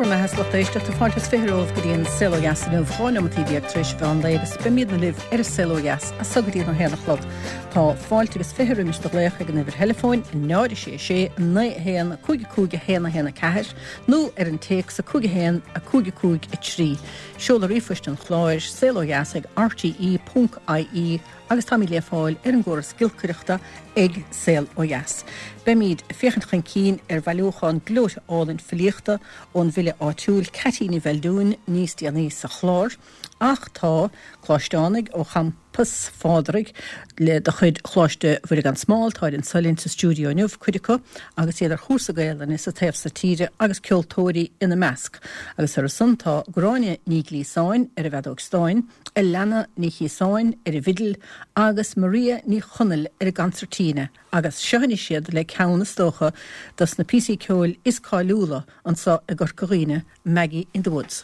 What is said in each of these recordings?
raibh maith agat a lucht éisteachta. Fáilte is 20 romhaibh go dtí an Saol Ó Dheas inniu, 12 neomataí tar éis an mheán lae agus beimidne libh ar an Saol Ó Dheas as so go dtí an 1 a chlog. Tá fáilte agus 20 roimis do ghlaoch ag an uimhir theileafóin 0 6 6 9 1 5 5 1 1 4 nó ar an téacs 5 1 5 5 3. Seoladh ríomhphoist an chláir, saolodheas ag rte.ie agus táimid le fáil ar an gcóras giolcaireachta ag Saol Ó Dheas. Beimid ag féachaint chun cinn ar bhailiúchán gleoite álainn filíochta ón bhfile áitiúil Ceaití Ní Bheildiúin níos déanaí sa chlár, ach tá coláisteánaigh ó champas Phádraig le de chuid Choláiste Mhuire gan Smál, táid anso linn sa stiúideo inniu, cuid acu agus iad ar chúrsa Gaelainne sa taobh so tíre agus ceoltóirí ina measc. Agus orthu san tá Gráinne Ní Ghliasáin ar an bhfeadóg stáin, Alannah Ní Chíosáin ar an bhfidil agus Maria Ní Chonaill ar an gconsairtíne agus seo anois iad le ceann is dócha dos na píosaí ceoil is cáiliúla anso i gCorca Dhuibhne, Maggie in the Woods.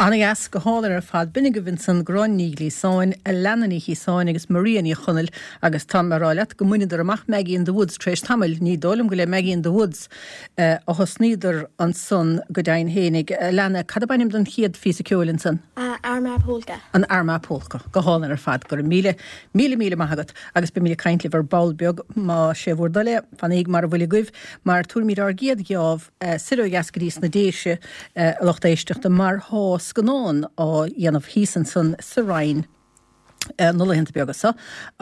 Ana-dheas, go hálainn ar fad. B'in agaibh ansan Gráinne Ní Ghliasáin, Alannah Ní Chíosáin agus Maria Ní Chonaill agus tá mé a rá leat go mbaineadar amach Maggie in the Woods tar éis tamaill. Ní dóigh liom go le Maggie in the Woods a thosnaíodar ansan go deimhin fhéinig. Alannah, cad ab ainm don chéad phíosa ceoil ansan? Armagh Polka. An Armagh Polka. Go hálainn ar fad. Go raibh míle, míle, míle maith agat agus beimid ag caint libh ar ball beag má sé bhur dtoil é. Fanaíg mar a bhfuil agaibh mar tabharfaimid ár gcéad gheábh soir ó dheas go dtí sna Déise, a lucht éisteachta, mar thá scannán á dhéanamh thíos ansan sa Rinn na laethanta beaga seo.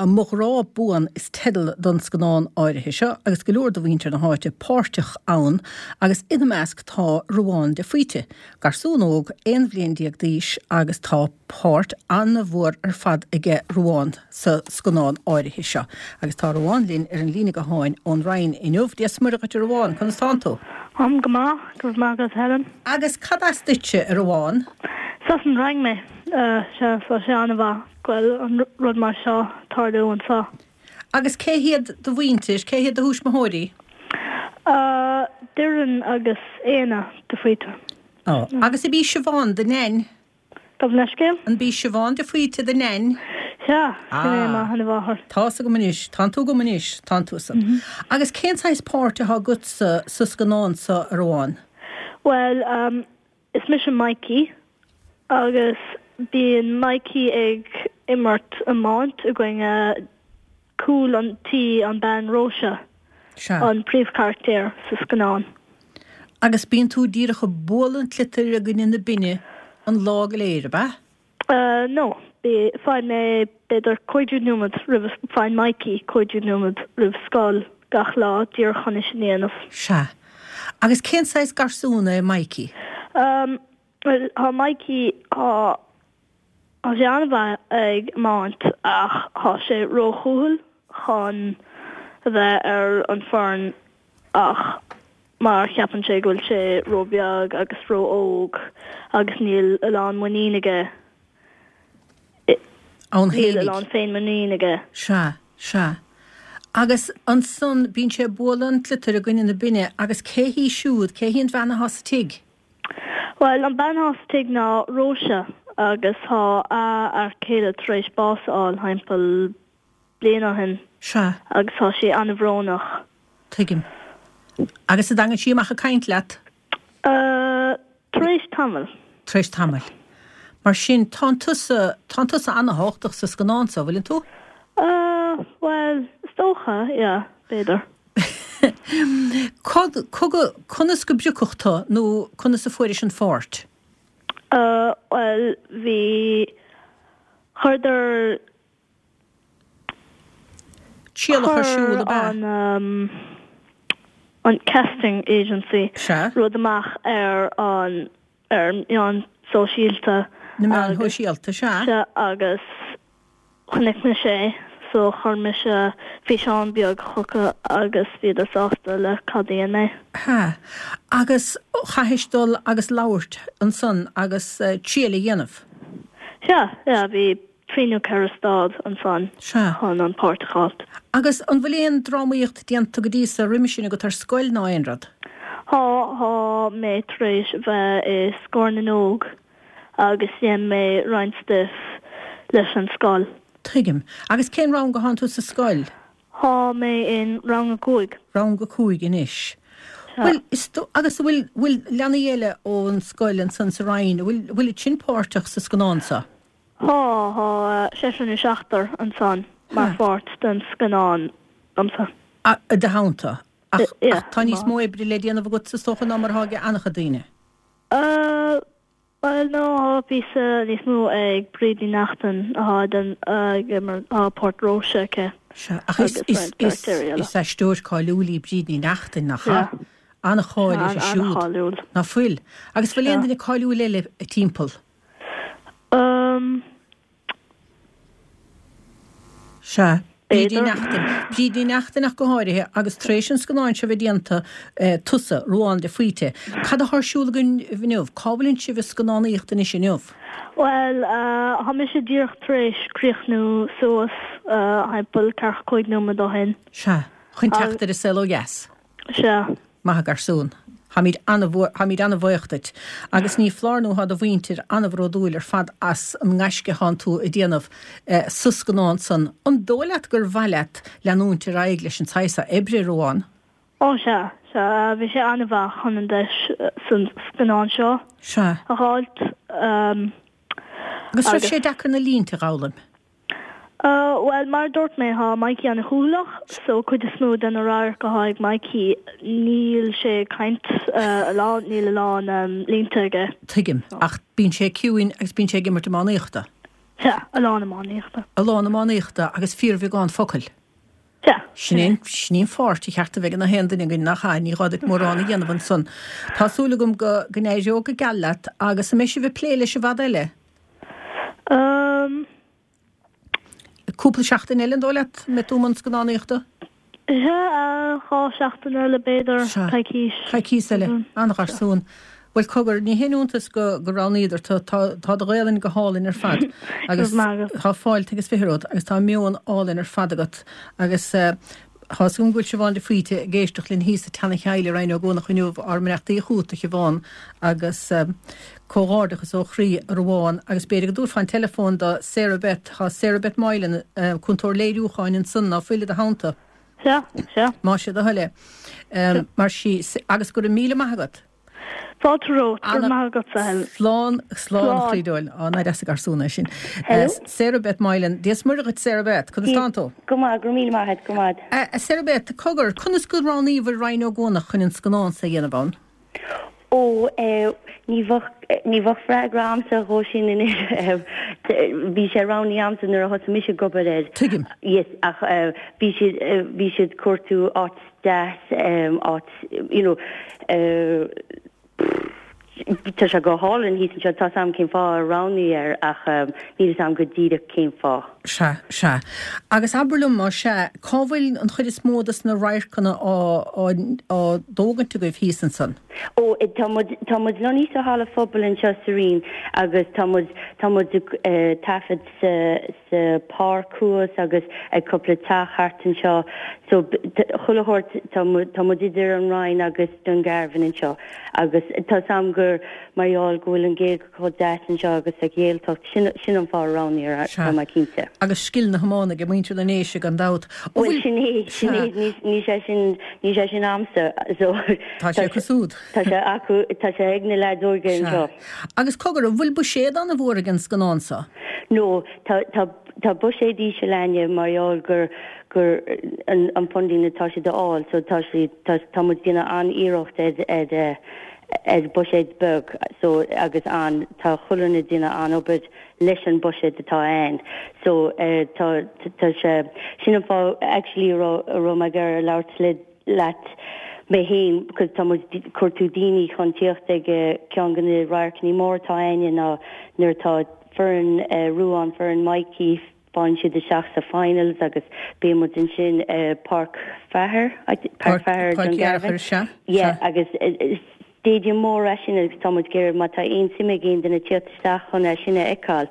Mo Ghrá Buan is teideal don scannán áirithe seo agus go leor de mhuintir na háite páirteach ann agus ina measc tá Ruadhán de Faoite, garsún óg 11 bhliain d'aois agus tá páirt an-mhór ar fad aige Ruadhán sa scannán áirithe seo. Agus tá Ruadhán linn ar an líne gutháin ón Rinn inniu. Dia 's Muire dhuit a Ruadháin, conas tánn tú? Táim go maith, go raibh maith agat Helen. Agus cad as duitse, a Ruadháin? Is as an Rinn mé. Sea, tá sé an-mhaith go bhfuil an rud mar seo ag tarlú anseo. Agus cé hiad do mhuintir, cé hiad do thuismitheoirí? Doireann agus Éanna de Faoite. Ó, agus ab í Siobhán do neain? Gabh mo leithscéal? An b'í Siobhán de Faoite do neain? Sea, sin é mo sheanmháthair. Tá's agam anois, tánn tú agam anois, tánn tú san. Agus cén saghas páirt atá agatsa sa scannán seo, a Ruadháin? Bhuel, is mise Mikey agus bíonn Mikey ag imirt iomáint i gcoinne cúl an tí, an bean Róise, an príomhcharachtar sa scannán. Agus bíonn tú díreach ag bualadh an tsliotair i gcoinne na binne an lá go léir, ab ea? No, bí, faigheann mé b'fhéidir 15 nóiméad roimh, faigheann Mikey 15 nóiméad roimh scoil gach lá díreach chun é sin a dhéanamh. Sea. Agus cén saghas garsún é Mikey? Bhuel, tá Mikey, tá, tá sé an-mhaith ag iomáint ach tá sé róchúthail chun a bheith ar an foireann ach mar cheapann sé go bhfuil sé ró-bheag agus ró-óg agus níl a lán muinín aige, Ann níl a lán féin-muinín aige. Sea, sea. Agus ansan bíonn sé ag bualadh an tsliotair i gcoinne na binne agus cé hí siúd, cé hí an bhean athá sa tigh? Bhuel, an bean athá sa tigh ná Róise agus thá a fhear céile tar éis bás a fháil thimpeall bliain ó shin. Sea. Agus tá sí an-bhrónach. Tuigim. Agus an dtagann sí amach ag caint leat? Uh, tar éis tamaill. Tar éis tamaill. Mar sin, tánn tusa, tánn tusa ana-thábhachtach sa scannán so, bhfuileann tú? Uh, bhuel, is dócha, yeah, b'fhéidir. Cad, cogar, conas go bpriocadh tu nó conas a fuairis an pháirt? Uh, bhuel, bhí, chuireadar Trialach ar siúl ab ea? Chuir an casting agency rud amach ar an ar meáin sóisialta. Na meáin shóisialta, sea. Sea, agus chonaic mise é so chuir mise físeán beag chucu agus bhíodar sásta le cad a dhein mé. Sea, agus chaithis dul agus labhairt ansan agus triail a dhéanamh? Sea, sea, bhí 3 nó 4 staid ansan chun an páirt a fháilt. Agus an bhfuil aon drámaíocht déanta go dtí so roimis sin agat ar scoil ná aon rud? Thá, thá mé tar éis a bheith i Scór na nÓg agus dhein mé roinnt stuif leis an scoil. Tuigim. Agus cén rang a thánn tú sa scoil? Thá mé in rang a cúig. Rang a cúig anois. Bhuel, is dó, agus an bhfuil, bhfuil leanaí eile ón scoil ansan sa Rinn, an bhfuil, bhfuilid sin páirteach sa scannán so? Thá, thá seisear nó seachtar ansan mar pháirt den scannán liomsa. I do theannta. Ach, ach tá níos mó oibre le déanamh agatsa is dócha ná mar atá ag an-chuid daoine. Bhuel, no, thá píosa níos mó ag Bríd Ní Neachtain athá den, ag imirt, thá páirt Róise aici. Sea, ach is, is, is, is aisteoir cáiliúil í Bríd Ní Neachtain, nach ea? An-cháil uirthi siúd. An-cháiliúil. Ná fuil? Agus bhfuil aon duine cáiliúil eile timpeall? Umm. Sea. Bríd Ní Neachtain. Bríd Ní Neachtain ach go háirithe, agus tar éis an scannáin seo bheith déanta, tusa, Ruadhán de Faoite, cad athá ar siúl agaibh inniu? Cá bhfuileann sibh ag scannánaíocht anois inniu? Bhuel, thá mise díreach tar éis críochnú suas, thimpeall ceathracha cúig nóiméad ó shin. Sea. Chun teacht ar An Saol Ó Dheas. Sea. Maith a' garsún. Táimid ana-, táimid ana-bhaoch duit. Agus ní foláir nó thá do mhuintir ana-bhródúil ar fad as an ngaisce athánn tú a déanamh sa scannán san. An dóigh leat gur mhaith leat leanúint ar aghaidh leis an tsaghas so oibre, a Ruadháin? Ó sea, sea. Bhí sé ana-mhaith chun an deis san scannán seo Sea. a dh'fháilt. Agus raibh sé deacair na línte a dh'fhoghlaim? Bhuel, mar a dúirt mé, thá Mikey ana-chúthaileach, so cuid is mó de na radhairc athá ag Mikey, níl sé ag caint a lán, níl a lán línte aige. Tuigim, ach bíonn sé ciúin agus bíonn sé ag imirt iománaíochta. Sea, a lán iománaíochta. A lán iománaíochta agus fíorbheagán focal. Sea. Sin é, sin í an pháirt a cheart a bheith ag na haon duine againn, nach ea? Ní gá duit mórán a dhéanamh ansan. Tá súil agam go, go n-éireoidh go geal leat agus an mbeidh sibh ag plé leis i bhfad eile? Umm. Cúpla seachtain eile, an dóigh leat, an mbeidh tú i mbun scannánaíochta? Sea, 2 seachtain eile b'fhéidir, coicís. Coicís eile. An-gharsún. Bhuel, cogar, ní haon iontas go roghnaíodar tu, tá tá do Ghaelainn go hálainn ar fad agus tá fáilte agus fiche romhat agus tá meon álainn ar fad agat agus tá 'fhios agam go bhfuil Siobhán de Faoite ag éisteacht linn thíos i Teann an Cheallaigh i Rinn Ó gCuanach inniu, ár mbeannachtaí chugat, a Shiobhán, agus comhghairdeachas ó chroí, a Ruadháin, agus b'fhéidir go dtabharfá an teileafón do Sarah Beth, tá Sarah Beth Moylan, cúntóir léiriúcháin ansan, ná fuil i do theannta? Sea, sea. Más é do thoil é. Mar sí, agus go raibh míle maith agat. Fáilte romhat, go raibh maith agatsa, Helen. Slán, slán a chroí dóil. Á, nach deas an garsún é sin. Hello. Sarah Beth Moylan. Dia 's Muire dhuit, Sarah Beth. Conas tánn tú? Go maith, go raibh míle maith agat, go maith. A Sarah Beth, cogar, conas go roghnaíobhair Rinn Ó gCuanach chun an scannán so a dhéanamh ann? Ó, eh, ní bheadh. Ní bheadh freagra a'msa dhó sin anois. Bhí sé roghnaithe a'msa nuair a thosaigh mise ag obair air. Tuigim. Yes, ach bhí siad, bhí siad cuartú áit deas, áit, you know, tá sé go hálainn thíos anseo, tá 's a'm cén fáth ar roghnaíodh air ach níl 'fhios a'm go díreach cén fáth. Sea, sea. Agus abair liom, más ea, cá bhfuil an chuid is mó dos na radharcanna á, á, á dtógaint agaibh thíos ansan? Ó, tá muid, tá muid lonnaithe sa halla phobail anseo sa Rinn agus tá muid, tá muid ag taifead sa, sa páirc thuas agus ag cúpla teach thart anseo. So, chuile shórt, tá muid, tá muid idir an Rinn agus Dungarvan anseo agus tá 's a'm gur mar gheall go bhfuil an Ghaeilge chomh deas anseo agus sa Ghaeltacht, sin, sin an fáth a roghnaíodh, Sea. tá mé cinnte. Agus scil na hiomána ag muintir na nDéise gan dabht. An Bhuel, bhfuil. sin é, sin é, ní, ní sé sin, ní sé sin a'msa, so Tá sé acu siúd. tá sé acu, tá sé ag na leaids óga Sea. anseo. Agus cogar, an bhfuil buiséad an-mhór ag an scannán seo? No, tá, tá, tá buiséad íseal a'inne mar gheall gur, gur an, an funding atá siad a fháil, so tá siad, tá, tá muid ag déanamh an-iarracht ar, ar eh, ar buiséad beag so agus an, tá chuile dhuine ag déanamh an-obair leis an buiséad atá ann so eh tá, tá sé, sin an fáth actually a raibh, a raibh mé ag iarraidh labhairt le, leat mé féin because tá muid ag cuartú daoine chun tíocht ag ceann de na radharcanna móra atá a'inne ná nuair atá foireann eh Ruán, foireann Mikey, Faigheann siad isteach sa finals agus beidh muid ansin i Páirc Feathair, Páirc Feathair Páirc Fhearchair, sea, Yeah, agus stadium mór é sin agus tá muid ag iarraidh má tá aon suim ag aon duine tíocht isteach chun é sin a fheiceáil,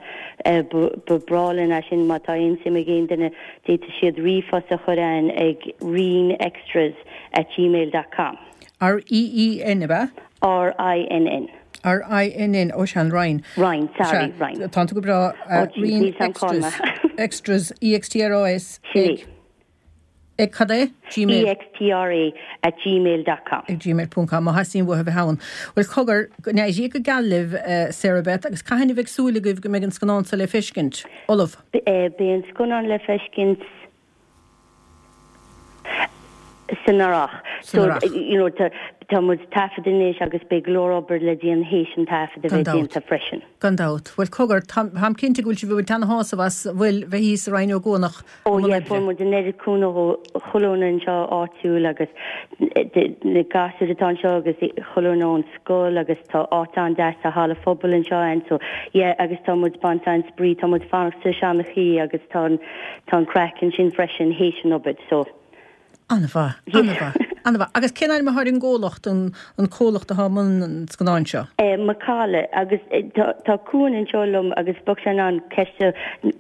ba bhreá linn é sin má tá aon suim ag aon duine d'fhéadfadh siad ríomhphost a chur a'inn ag rinnextras at gmail dot com. R-E-E-N, ab ea? R-I-N-N. R-I-N-N, ó sea, an Rinn. Rinn, sorry, Rinn. Tá tú go breá. Ó jeez, níl 's a'm cá mé. Extras, E-X-T-R-A-S, ag. Ag cad é? Gmail. E-X-T-R-A at gmail dot com. Ag gmail ponc com, má theastaíonn uathu a bheith ann. Bhuel, cogar, go n-éirí go geal libh, Sarah Beth, agus cathain a bheidh súil agaibh go mbeidh an scannán seo le feiscint? Ullamh? Beidh an scannán le feiscint. san earrach. San earrach. So, you know, tá, tá muid ag taifead anois agus beidh go leor obair le déanamh théis an taifead a Gan bheith dabht. déanta freisin. Gan dabht. Bhuel, cogar, tá, táim cinnte go bhfuil sibh ag baint ana-shásamh as, bhuel, bheith thíos i Rinn Ó gCuanach Ó i mbun yeah, oibre. fuair muid an oiread cúnamh ó chuile dhuine anseo áitiúil agus na gasúir atá anseo agus chuile dhuine ón scoil agus tá áit an-deas sa halla phobail anseo a'inn so yeah agus tá muid ag baint an-spraoi, tá muid ag fanacht sa Seanchaí agus tá an tá an craic ansin freisin théis an obair so. An-mhaith, an-mhaith, an-mhaith. Agus cén ainm atá ar an gcomhlacht, an an comhlacht atá i mbun an scannáin seo? Eh Macalla agus tá tá Cuan anseo liom agus bheadh sé in ann ceist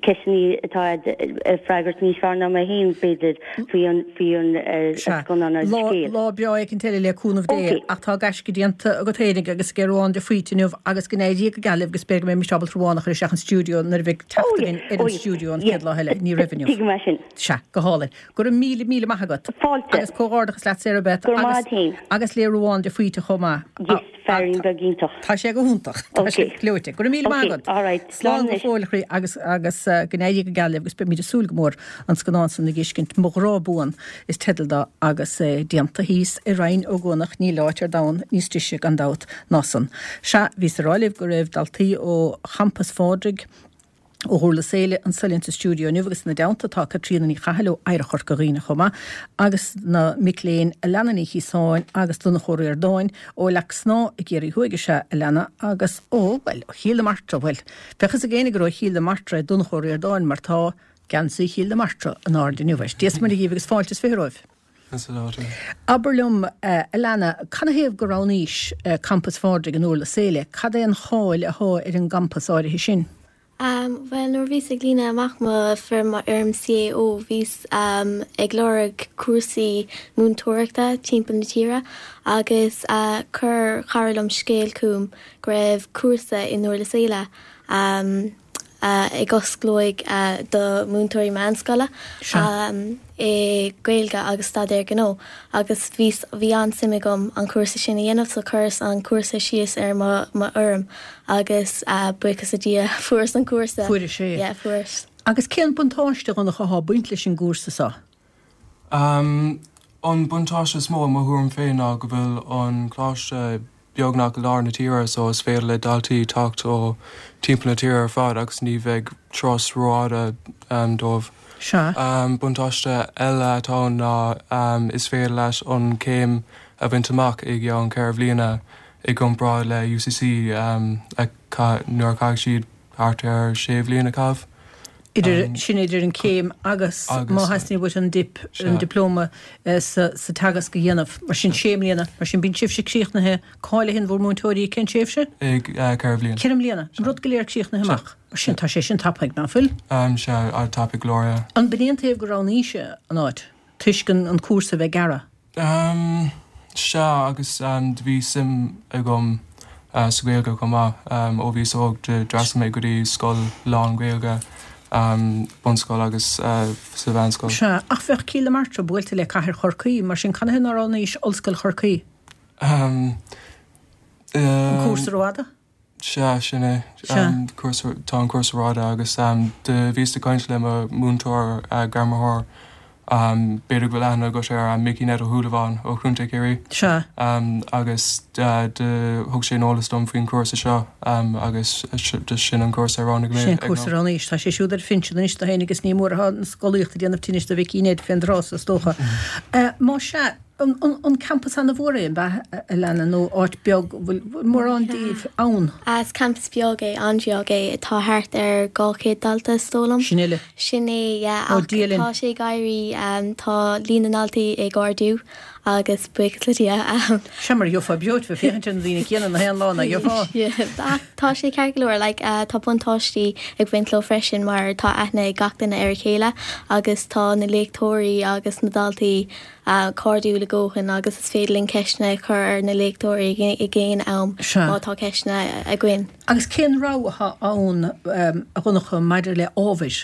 ceisteanna atá a'd a freagairt níos fearr ná mé féin b'fhéidir faoi an faoi an Sea. scannán agus Lá, scéal. lá breá éicint eile le cúnamh Dé, Ok. ach tá gaisce déanta agat fhéinig agus ag Ruán de Faoite inniu agus go n-éirí go geal libh agus b'fhéidir go mbeidh mise ábalta Ruán a chur isteach an stiúideo nuair a bheidh Oh teacht yeah, againn ar oh an yeah, stiúideo an yeah. chéad lá eile. Ní raibh inniu. Tuigim é sin. Sea, go hálainn. Go raibh míle, míle maith agat. Fáilte. Agus comhghairdeachas leat Sarah Beth. Go raibh maith agat féin. Agus le Ruán de Faoite chomh maith. Yes, feairín beag iontach. Tá sé go hiontach. Tá sé gleoite. Go raibh míle maith agat. Ok, alright. Slán go fóill a chroí agus agus go n-éirí go geal libh agus beimid ag súil go mór an scannán san a dh'fheiscint. Mo Ghrá Buan is teideal dó agus é déanta thíos i Rinn Ó gCuanach níl áit ar domhan níos deise gan dabht ná san. Sea, bhíos ag rá libh go raibh daltaí ó Champas Phádraig, Ó Dhurlas Éile anso linn sa stiúideo inniu agus ina dteannta tá Caitríona Ní Chathail ó Oidhreacht Chorca Dhuibhne chomh maith agus na mic léinn Alana Ní Chíosáin agus Donncha Ó Ríordáin ó Leac Snámha i gCiarraí Thuaidh is ea Alana agus ó, bhuel, ó Chill na Martra, bhuel, bheadh fhios ag éinne gur ó Chill na Martra é Donncha Ó Ríordáin mar tá geansaí Chill na Martra in airde inniu air. Dia 's Muire dhíbh agus fáilte is 20 romhaibh. Abair liom, a Alana, canathaobh gur roghnaís Campas Phádraig i nDurlas Éile? Cad é an cháil athá ar an gcampas áirithe sin? Bhuel, nuair a bhíos ag líonadh amach mo foirm, mo fhoirm CAO, bhíos ag lorg cúrsaí múinteoireachta timpeall na tíre agus chuir cara liom scéal chugam go raibh cúrsa i nDurlas Éile. ag osclóidh do múinteoirí meánscoile i Gaeilge agus Staidéar Gnó agus bhí bhí an-suim agam an cúrsa sin a dhéanamh so chuireas an cúrsa síos ar mo mo fhoirm agus buíochas le Dia fuaireas an cúrsa. Fuairis é. Yeah, fuaireas. Agus cén buntáiste, a Dhonncha, athá ag baint leis an gcúrsa seo? An buntáiste is mó i mo thuairim féin ná go bhfuil an coláiste. beagnach i lár na tíre so is féidir le daltaí teacht ó timpeall na tíre ar fad agus ní bheidh turas rófhada dóibh. Sea. Buntáiste eile atá ann ná is féidir leat an chéim a bhaint amach i gceann 4 bhliana i gcomparáid le UCC nuair a chaithfidh siad thart ar 6 bhliain a chaitheamh. Idir, sin idir an chéim agus má theastaíonn uait an dip, an dioplóma sa teagasc a dhéanamh. Mar sin sé mbliana. Mar sin bíonn sibhse críochnaithe, cáilithe in bhur múinteoirí cén tréimhse? I 4 bhliain. 4 mbliana. An rud go léir críochnaithe amach. Mar sin tá sé sin tapaidh, ná fuil? Sea, tapaidh go leor, yeah. An b'in é an taobh gur roghnaís an áit? Toisc an cúrsa a bheith gearra? Sea, agus do bhí suim agam sa Ghaeilge chomh maith. Ó bhíos óg d'fhreastail mé go dtí scoil lán-Ghaeilge, bunscoil agus sa mheánscoil. Sea, ach bheadh Cill na Martra buailte le cathair Chorcaí, mar sin canathaobh nár roghnaís Ollscoil Chorcaí? An cúrsa rófhada? Sea, sin é. Sea. Cúrsa, tá an cúrsa rófhada agus do bhíos ag caint le mo mhúinteoir gairmitheoir, b'fhéidir go bhfuil aithne agat air, Mickey Ned Ó Shúilleabháin ó Chontae Chiarraí. Sea. Agus do thug sé an eolas dom faoin chúrsa seo agus sin an cúrsa a roghnaigh mé Sin an cúrsa a roghnaís. Tá sé siúd ar phinsean anois do fhéinig is ní mór atá an scolaíocht ag déanamh tinnis do Mhicí Ned fén dtráth so is dócha. Más sea, An campas ana-mhór é, an ea, a Alana, nó áit beag, bhfuil mórán díobh ann? Is campas beag é, an-bheag é. Tá thart ar 200 dalta is dóigh liom. Sin uile? Sin é, yeah. Ach tá sé ag éirí, tá líon na ndaltaí ag ardú agus buíochas le Dia. Sea, mar gheofá breoite bheith féachaint ar na daoine céanna na haon lá, nach gheofá? Ach tá sé ceart go leor, like, tá buntáistí ag baint leo freisin mar tá aithne ag gach duine ar a chéile agus tá na léachtóirí agus na daltaí cairdiúil a dhóthain agus is féidir linn ceisteanna a chur ar na léachtóirí ag aon am má tá ceisteanna againn. Agus cén rogha atá ann, a Dhonncha, maidir le ábhair?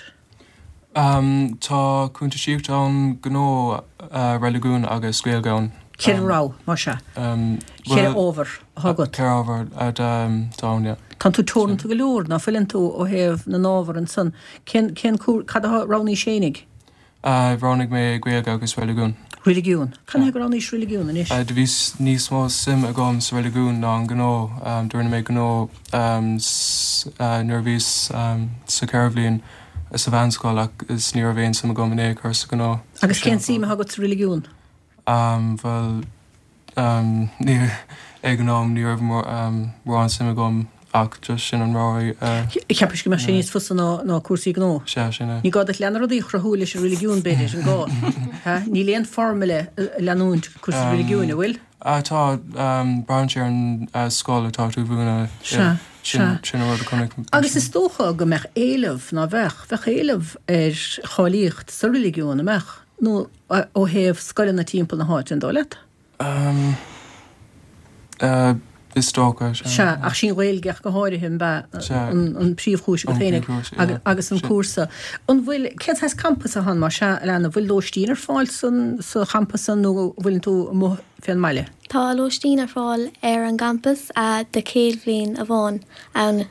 Tá cuntasaíocht ann, gnó, reiligiún agus Gaeilge ann. Ceithre rogha, más ea. Ceithre ábhar atá agat. Ceithre ábhar atá ann, yeah. Tánn tú teoranta go leor, ná fuileann tú, ó thaobh na n-ábhar ansan. Cén, cén, cad a roghnaís fhéinig? Roghnaigh mé Gaeilge agus Reiligiún. Reiligiún. Canathaobh gur roghnaís Reiligiún anois? Do bhí níos mó suim agam sa reiligiún ná an gnó. Do rinne mé gnó nuair a bhíos sa cheithre bhliain sa mheánscoil ach is ní raibh aon suim agam in aon chor sa ghnó. Agus cén suim atá agat sa reiligiún? Bhuel, ní, ag an am ní raibh mórán suim agam ach just sin an rogha a. Cheapais go mbeadh sé níos fusa ná ná cúrsaí gnó? Sea, sin é. Ní gá duit leath na rudaí a chruthú leis an reiligiún, b'fhéidir, an gá? Ha? Níl aon formula a leanúint cúrsaí reiligiúin, an bhfuil? Tá, braitheann sé ar an scoil atá tú a mhúineadh. Sea, sea. Sin an rud a chonaic. Agus is dócha go mbeadh éileamh, ná bheadh? Bheadh éileamh ar cháilíocht sa reiligiún, an mbeadh? Nó ó thaobh scoileanna timpeall na háite, an dóigh leat? Is dócha, sea. Sea, ach sí an Ghaeilge ach go háirithe, an ea, an príomhchúis agat féinig agus an cúrsa. An bhfuil, cén saghas campas atá ann, más ea, a Alana, an bhfuil lóistín ar fáil sa champas san nó an bhfuileann tú amuigh fén mbaile? Tá lóistín ar fáil ar an gcampas do chéad bhliain amháin ann.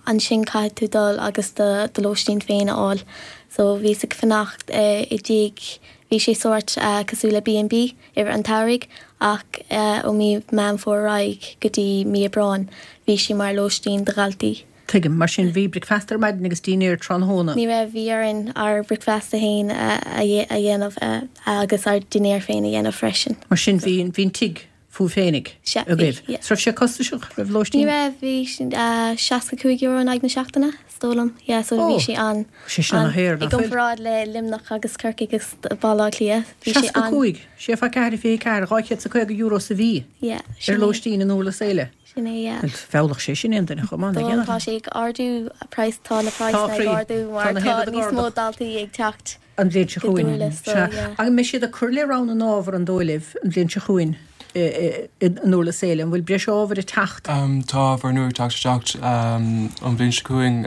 Ansin caithfidh tú dul agus do lóistín féin a fháil. So bhíos ag fanacht i dtigh, bhí sé sórt cosúil le B&B i rith an tsamhraidh ach ó mí Meán Fómhair ar aghaidh go dtí mí Aibreáin bhí sé mar lóistín do dhaltaí. Tuigim. Mar sin bhí bricfeasta ar maidin agus dinnéar tráthnóna. Ní raibh, bhí orainn ár bricfeasta féin a dhéanamh agus ár dinnéar féin a dhéanamh freisin. Mar sin bhí an tigh fúibh féinig Sea, agaibh. bhí, yeah. 'S raibh sé costasach, raibh lóistín? Ní raibh, bhí €65 in aghaidh na seachtaine, is dóigh liom, yeah, so Ó, bhí sé an, sé sin an, ana-shaor, i nach bhfuil? gcomparáid le Luimneach agus Corcaigh agus Baile Átha Cliath, bhí sé an, 65, sé fá 4, 24, €250 sa mhí yeah, ar sin é, lóistín in Durlas Éile. sin é, yeah. Bhuel, mheallfadh sé sin aon duine chomh maith, nach Tá, ndéanfadh? tá sé ag ardú, praghas, tá na Tá, praghsanna ag croí, ardú tá mar na tá haon rud ag níos mó ardú. daltaí ag teacht. An bhliain seo go chugainn. Durlas so Sea. yeah. An mbeidh siad ag cur le rogha na n-ábhar an dóigh libh an bhliain seo chugainn i nDurlas Éile? An bhfuil breis ábhair ag teacht? Tá ábhar nua ag teacht isteach an bhliain seo chugainn.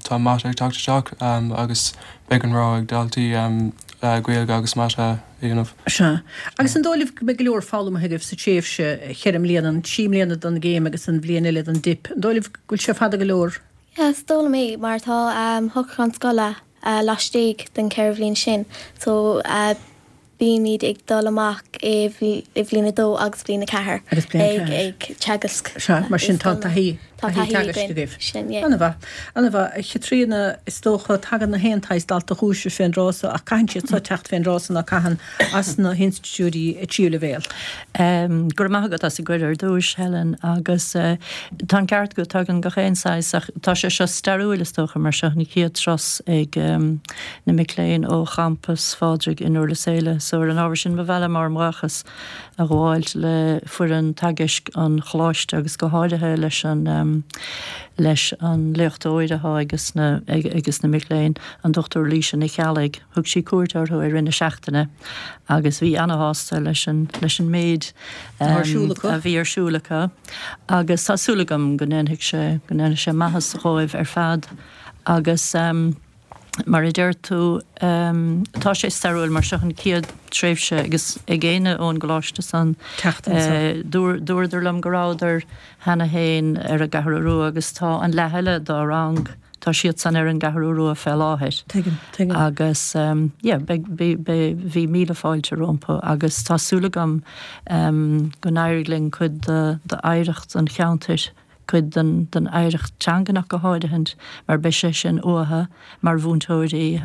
Tá Mata ag teacht isteach agus beidh an rogha ag daltaí Gaeilge agus Mata a dhéanamh. Sea. Agus an dóigh libh go mbeidh go leor foghlamtha agaibh sa tréimhse cheithre mbliana, an trí mbliana don gcéim agus an bhliain eile don dip? An dóigh libh go bhfuil sé fada go leor? Yeah, is dóigh liom é mar tá shocrúchán scoile laistigh den cheithre bhliain sin so. Bímid ag dul amach i bhliain a dó agus bliain a ceathair Agus bliain a ceathair. ag teagasc. Sea, mar sin tá taithí, Tá taithí taithí teagaisc againn. agaibh. Sin, yeah. An-mhaith, an-mhaith. A Chaitríona, is dócha, tagann na haon tsaghas dalta chugaibhse fén dtráth so ach caitheann siad so teacht fén dtráth so ná caitheann as na hinstitiúidí tríú leibhéal. Go raibh maith agat as an gcuireadh ar dtúis, Helen, agus tá an ceart agat, tagann gach aon saghas ach tá sé seo stairiúil is dócha mar seo an chéad turas ag na mic léinn ó champas Phádraig i nDurlas Éile. So ar an ábhar sin ba mhaith liom ár mbuíochas a ghabháilt le foireann teagaisc an choláiste agus go háirithe leis an leis an léachtóir atá ages na ages na mic léinn, an Dr Laoise Nic Cheallaigh. Thug sí cuairt orthu i rith na seachtaine agus bhí ana-shásta leis an leis an méid a bhí ar siúl acu agus tá súil agam go ndéanfaidh sé go ndéanfaidh sé maitheas dhóibh ar fad agus mar a deir tú tá sé stairiúil mar seo an chéad tréimhse agus ag éinne ón gcoláiste san dúradar liom go rabhadar cheana féin ar an gCeathrú Rua agus tá an leath eile dá rang Tá siad san ar an gCeathrú Rua fé láthair. Tuigim, tuigim. Agus yeah, beidh, beidh, beidh, bhí míle fáilte rompu agus tá súil agam go n-éireoidh linn cuid de, d'oidhreacht an cheantair, cuid den, den oidhreacht teangan ach go háirithint, mar beidh sé sin uathu mar mhúinteoirí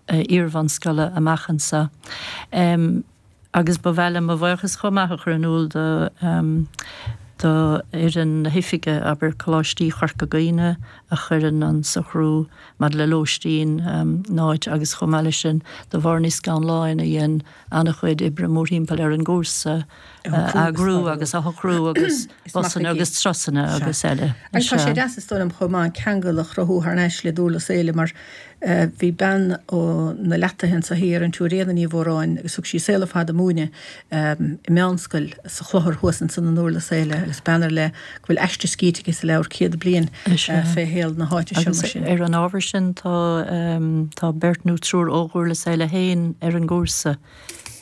iarbhunscoile amach anso. Agus ba mhaith liom mo bhuíochas chomh maith a chur in iúl do do fhoireann na hoifige, abair, Coláistí Chorca Dhuibhne a chuireann an socrú maidir le lóistín in áit agus chomh maith leis sin do Mháire Ní Scanláin a dhein an-chuid oibre mórthimpeall ar an gcúrsa a eagrú agus a shocrú agus busanna agus turasanna agus eile. Agus tá sé deas is dóigh liom chomh maith an ceangal a chruthú thar n-ais le Durlas Éile mar bhí bean ó na Leataithe anso thiar, an tSiúr Éanna Ní Mhóráin, agus thug sí a saol ar fad ag múineadh i meánscoil sa Chlochar thuas ansan i nDurlas Éile agus bean ar leith go bhfuil aiste scríte aici sa leabhar Céad Bliain fé shaol na háite seo mar sin. Agus ar an ábhar sin tá tá beirt nó triúr ó Dhurlas Éile féin ar an gcúrsa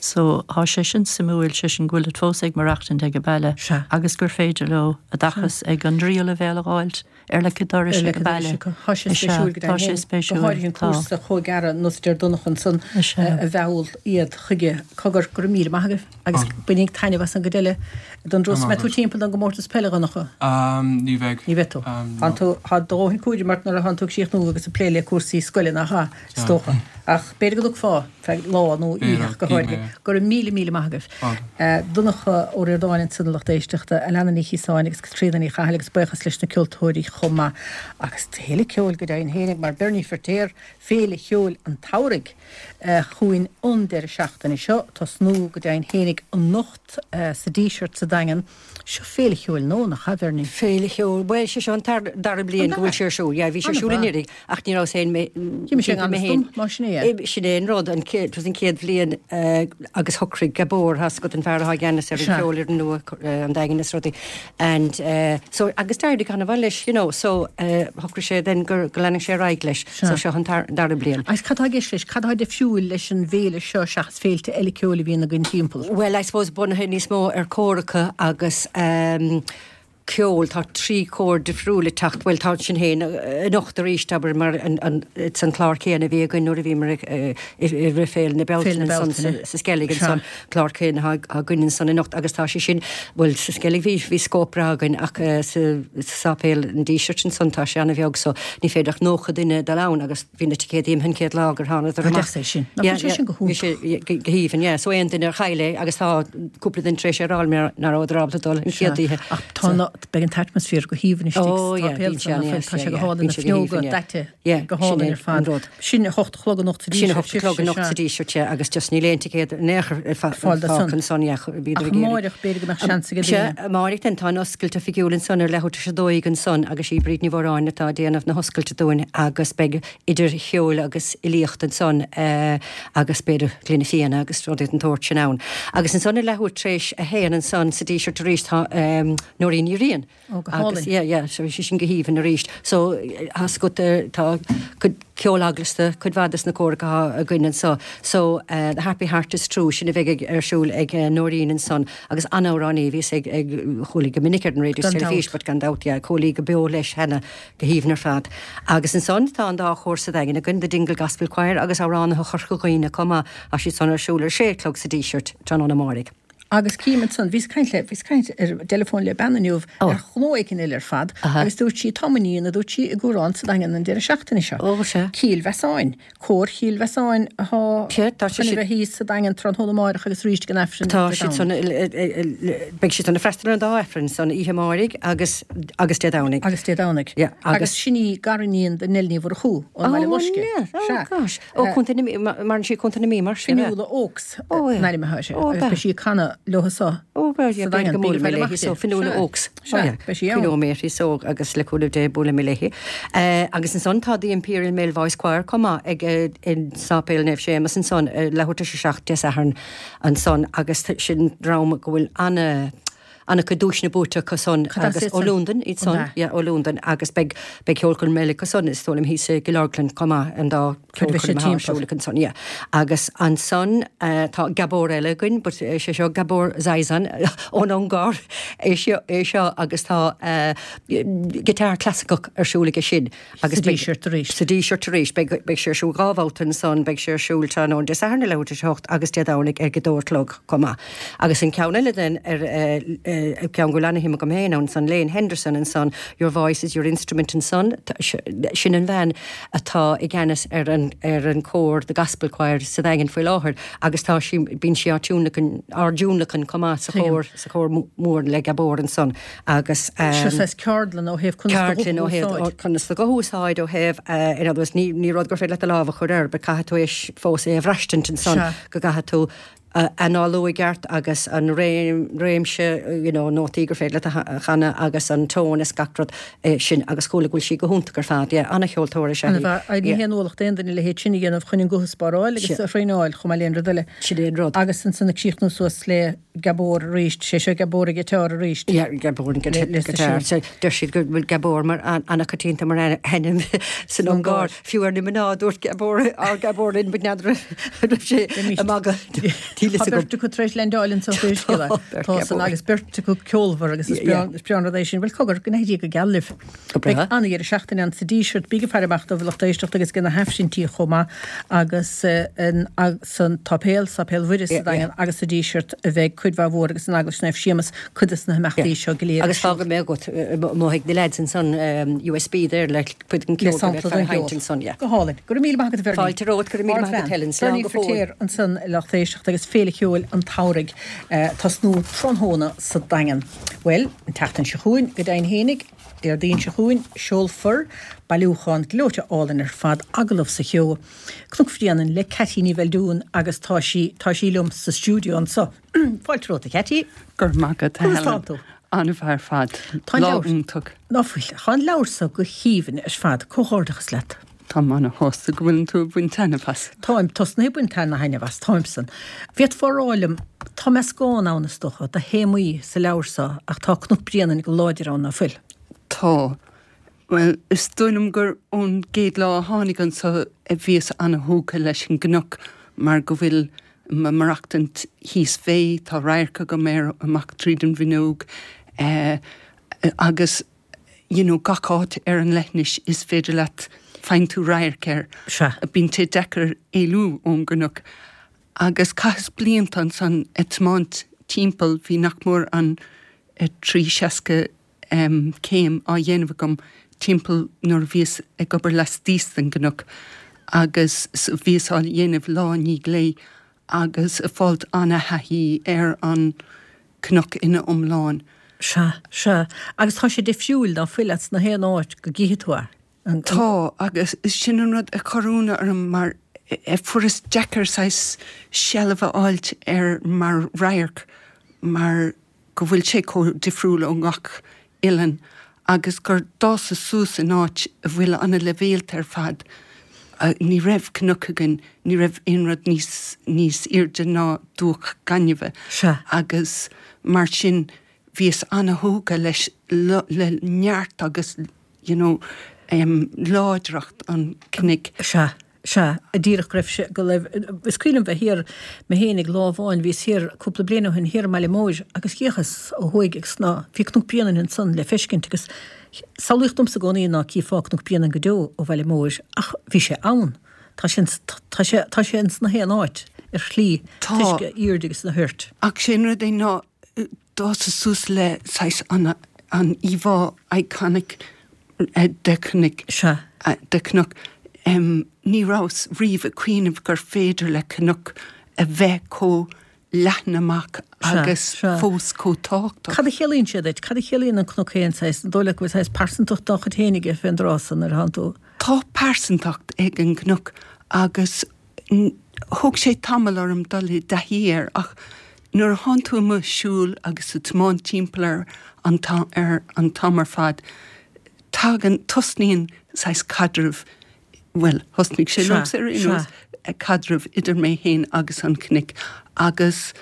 so thá sé sin suimiúil, sé sin go bhfuilid fós ag maireachtaint ag an baile agus gur féidir leo oideachas ag an dtríú leibhéal a dh'fháilt ar leic an dorais ag an baile. Tá sé spéisiúil go deimhin féin, go háirithe an cúrsa chomh gearr ar nós a deir Donncha ansan a mheall iad chuige. Cogar, go raibh míle maith agaibh agus bainíg taitneamh as an gcuid eile den dturas. Mbeidh tú timpeall don gcomórtas peile, a Dhonncha? Ní bheidh. Ní bheidh tú. Tá do dhóthain cúraim ort nuair atánn tú ag críochnú agus ag plé le cúrsaí scoile nach ea, is dócha. Ach b'fhéidir go dtiocfá feadh lá nó oíche ach go háirithe. Go raibh míle míle maith agaibh. Donncha Ó Ríordáin ansan a lucht éisteachta, Alannah Ní Chíosáin agus Caitríona Ní Chathail agus buíochas leis na ceoltóirí chomh maith. Agus tuilleadh ceoil go deimhin fhéinig mar Bernie Firtéar, Féile Cheoil an tSamhraidh chugainn an deireadh seachtaine seo, tosnú go deimhin fhéinig anocht sa Díseart sa Daingean. Seo féile cheoil nua, nach ea, a Bhernie? Féile cheoil, bhuel, sé seo an dara bliain go bhfuil sé ar siúl. Yeah, bhí sé ar siúl anuraidh ach ní rabhas féin mé Bhí mise i ngan fhios dom, mar sin é. Sin é an rud, an chéad, an chéad bhliain agus shocraigh Gabor, tá's agat an fear atá i gceannas ar an cheolfhoireann nua, an Daingean is rudaí. And so, agus d'éirigh an-mhaith leis, you know, so shocraigh sé then go go leanfadh sé ar aghaidh leis. So seo an dara bliain. Agus cad tá i gceist leis? Cad atá difriúil leis an bhféile seo seachas féilte eile ceoil a bhíonn againn timpeall. Bhuel, I suppose bunaithe níos mó ar chóracha agus ceol, tá 3 chór difriúil ag teacht, bhuel tá sinn féin anocht arís, abair, mar an, it's an clár céanna a bhí againn nuair a bhíomar i rith Féile na Bealtaine ansan sa Sceilg ansan, clár céanna atá againn ansan anocht agus tá sé sin, bhuel sa Sceilg bhí, bhí scóip breá againn ach sa sáipéal an Dísirt ansan tá sé ana-bheag so ní féidir ach 90 duine dul ann agus Bhí na ticéadaí imithe an chéad lá gur thánadar amach. Deas é sin. Nach bhfuil sé sin go hiontach? Bhí sé go haoibhinn, yeah. So aon duine ar chaill é agus tá cúpla duine tar éis é a rá liom nach rabhadar ábalta dul an chéad oíche. Ach tá na, beidh an t-atmaisféar go haoibhinn istigh sa tsáipéal san, nach bhfuil? Tá sé go hálainn, na fuinneoga daite go hálainn ar fad. Sin a hocht a chlog anocht sa Díseart. Sin a hocht a chlog anocht sa Díseart, yeah, agus just níl aon ticéad in aon chor ar fáil ansan, yeah. Ach amáireach, b'fhéidir go mbeadh seans ag daoine. Sea, amáireach then, tá an oscailt oifigiúil ansan ar leathuair tar éis a 12 ansan agus í Bríd Ní Mhóráin atá ag déanamh na hoscailte dúinn agus beidh idir cheol agus fhilíocht ansan agus b'fhéidir gloine fíona agus rudaí den tsórt sin ann. Agus ansan ar leathuair tar éis a haon ansan sa Díseart arís tá Nóirín Ní Riain. Ó, go hálainn. Agus, yeah, yeah, so bhí sé sin go haoibhinn arís. So, tá's agat, tá cuid. Ceol eaglasta, cuid mhaith des na córacha atá againn anso. So, The Happy Heart is True, sin a bheidh ar siúl ag Nóirín ansan agus an-amhránaí a bhíos ag, ag, chuala í go minic ar an raidió is teilifís but gan dabht, yeah, chuala í go beo leis cheana, go haoibhinn ar fad. Agus ansan tá an dá chór sa Daingean againn, The Dingle Gospel Choir agus Amhránaithe Chorca Dhuibhne chomh maith, tá siad san ar siúl ar sé a chlog sa Díseart tráthnóna amáirigh. Agus cím ansan, bhíos ag caint le, bhíos ag caint ar an dteileafón le bean inniu ar ghnó éicint eile ar fad agus dúirt sí, tá m'iníon, a dúirt sí, i gcúrán sa Daingean an deireadh seachtaine seo. Ó, sea. Cill Mheasáin. Cór Chill Mheasáin atá chun a bheith thíos sa Daingean tráthnóna amáireach agus arís ag an Aifreann Tá siad san, beidh siad san ag freastal ar an dá Aifreann, san oíche amáirigh agus, agus Dé Domhnaigh. Agus Dé Domhnaigh. Yeah, agus. Agus sin í gariníon do Nell Ní Mhurchú ón mBaile Loiscthe. Ó, oh gosh. Ó, Contae na Mí, maireann sí i Contae na Mí mar sin, Fionnuala Oakes an ainm atá uirthi agus beidh sí ag canadh leo so Ó, bhuel, yeah, b'fhéidir go mbuailfidh mé léi so, Fionnuala Oakes. Sea, beidh sí ann. Cuimhneoidh mé uirthi so agus le cúnamh Dé buailfidh mé léi. Agus ansan tá The Imperial Male Voice Choir chomh maith ag i Sáipéal Naomh Séamus ansan leathuair tar éis a 7 Dé Sathairn ansan agus sin dream go bhfuil ana An-chuid duaiseanna buaite acu san agus ó Londain iad san, yeah, ó Londain agus beidh, beidh ceolchoirm eile acu san is dóigh liom thíos i gCill Orglan chomh maith, an dá ceolchoirm atá ar siúl acu ansan, yeah. Agus ansan tá Gabor eile againn but is é seo Gabor Zizon ón Ungáir é seo, é seo agus tá guitar clasaiceach ar siúl aige sin. Agus Sa Díseart arís. Sa Díseart arís. Beidh, beidh sé ar siúl dhá bhabhta ansan, beidh sé ar siúl tráthnóna Dé Sathairn ar leathuair tar éis a hocht agus Dé Domhnaigh ag a dó a chlog chomh maith. Agus an ceann eile den, ar, ceann go bhfuil ana-shuim agam féin ann ansan, Lane Henderson ansan, Your Voice is Your Instrument ansan, sin an bhean atá i gceannas ar an, ar an chór, The Gospel Choir sa Daingean faoi láthair agus tá sí, bíonn sí á tionlacan, á dtionlacan chomh maith sa chór, sa chór mór le Gabor ansan. Agus. Seo saghas ceardlann ó thaobh conas do ghuth a úsáid. Conas do guth a úsáid ó thaobh, in other words, ní rud gur féidir leat do lámh a chur air, but caithfidh tú é fós é a bhraistint ansan, go gcaithfidh tú análú i gceart agus an réimse, you know, nótaí gur féidir leat a chanadh agus an tone is gach rud sin agus chuala go bhfuil sí go hiontach ar fad, yeah, an-cheoltóir is ea í. Ní haon ualach d'aon duine a leithéid sin a dhéanamh chun an guth a spáráil agus a thraenáil chomh maith le aon rud eile. Sin é an rud. Agus ansan ag críochnú suas le Gabor arís, sé seo Gabor ag guitar arís. Yeah, Gabor ag guitar. Deir siad go bhfuil Gabor mar an-choitianta mar ainm san Ungáir. Fiú ar na mná dúirt Gabor, ár Gabor linn, but n'fheadar an raibh sé ag magadh. Níl fhios agam. Tá beirt acu tar éis leaindeáil anso pé scéal é. Tá san agus beirt acu ceolmhar agus is breá an rud é sin. Bhuel cogar, go n-éirí go geal libh. Beidh an-dheireadh seachtaine ann sa Díseart. Bígí ag faire amach dóibh a lucht éisteachta agus ag na hAifrinntí chomh maith agus san tSáipéal, Sáipéal Mhuire sa Daingean agus sa Díseart a bheidh cuid mhaith mhór agus in Eaglais Naomh Séamus cuid de na himeachtaí seo go léir ar Agus fágfaidh mé agat amuigh ag na leaids ansan USB there le cuid den ceol go mbeidh ag seinnt ansan, yeah. Go hálainn. Go raibh míle maith agat a Bhernie. Fáilte romhat, go raibh míle maith agat Helen. Slán go fóill. Bernie Feiritéar ansan a lucht éisteachta agus Féile Cheoil an tSamhraidh tosnú tráthnóna sa Daingean. Bhuel, an tseachtain seo chugainn, go deimhin fhéinig, Déardaoin seo chugainn, seolfar bailiúchán gleoite álainn ar fad, Agallamh sa Cheo, Cnoc Bhréanainn le Ceaití Ní Bheildiúin agus tá sí, tá sí liom sa stiúideo anso. Fáilte romhat, a Cheaití. Go raibh maith agat, a Conas Helen. tánn tú? An-mhaith ar fad. Tá an Lá leabhar. iontach. Ná fuil. Tá an leabhar so go haoibhinn ar fad. Comhghairdeachas leat. Táim ana-shásta go bhfuileann tú ag baint taitneamh as. Táim tosnaithe ag baint ana-thaitneamh as, táim san. Bhféadfá a rá liom, tá meascán ann is dócha, de théamaí sa leabhar so ach tá Cnoc Bréanainn go láidir ann, ná fuil? Tá. Bhuel, is dóigh liom gur ón gcéad lá a tháinig anso a bhíos ana-thógtha leis an gcnoc mar go bhfuil mo maireachtaint thíos fé, tá radharc agam air amach tríd an bhfuinneog agus you know gach áit ar an leithinis is féidir leat, faigheann tú radharc air. Sea. Bíonn sé deacair éalú ón gcnoc. Agus chaitheas blianta ansan ag tiomáint timpeall, bhí nach mór an 360 céim á dhéanamh agam timpeall nuair a bhíos ag obair laistíos den gcnoc agus bhíos á dhéanamh lá i ndiaidh lae agus ag fáilt ana-thaithí ar an cnoc ina iomlán. Sea, sea. Agus tá sé difriúil, ná fuil, as na haon áit go gcífidh tú é. An. Tá, agus sin an rud a chuir ionadh orm mar fuaireas deacair saghas seilbh a fháilt air mar radharc mar go bhfuil sé chomh difriúil ó ngach oileán agus gur d'fhásas suas in áit a bhfuil ana-leibhéalta ar fad. Ní raibh cnoc againn, ní raibh aon rud níos, níos airde ná dumhach gainimhe agus mar sin bhíos ana-thógtha leis, le neart agus you know. Láidreacht an chnoic. Sea, sea, díreach go raibh sé, go raibh, is cuimhin liom bheith thiar mé féin ag lá amháin, bhíos thiar cúpla bliain ó shin thiar i mBaile Móir agus d'fhéachas ó thuaidh agus ná, bhí Cnoc Bréanainn ansan le feiscint agus samhlaíodh domsa i gcónaí ná cífeá Cnoc Bréanainn go deo ó Bhaile Móir ach bhí sé ann. Tá sé, tá sé, tá sé ins na haon áit ar shlí, toisc a aoirde agus a thoirt. Ach sé an rud é ná d'fhásas suas le saghas an an íomhá iconic de chnoic. Sea. De chnoc. Ní rabhas riamh ag cuimhneamh gur féidir le cnoc a bheith chomh leathan amach agus fós chomh tábhachtach. Cad a chiallaíonn sé duit? Cad a chiallaíonn an cnoc féin saghas? An dóigh leat go bhfuil saghas pearsantacht dá chuid féin aige fén dtráth san nuair atánn tú. Tá pearsantacht ag an gcnoc agus Thóg sé tamall orm dul i dtaithí air ach nuair a thánn tú amuigh ag siúl agus ag tiomáint timpeall air an ar an t-am ar fad, tagann, tosnaíonn saghas caidreamh, bhuel, thosnaigh sé liomsa ar aon nós, caidreamh idir mé féin agus an cnoic agus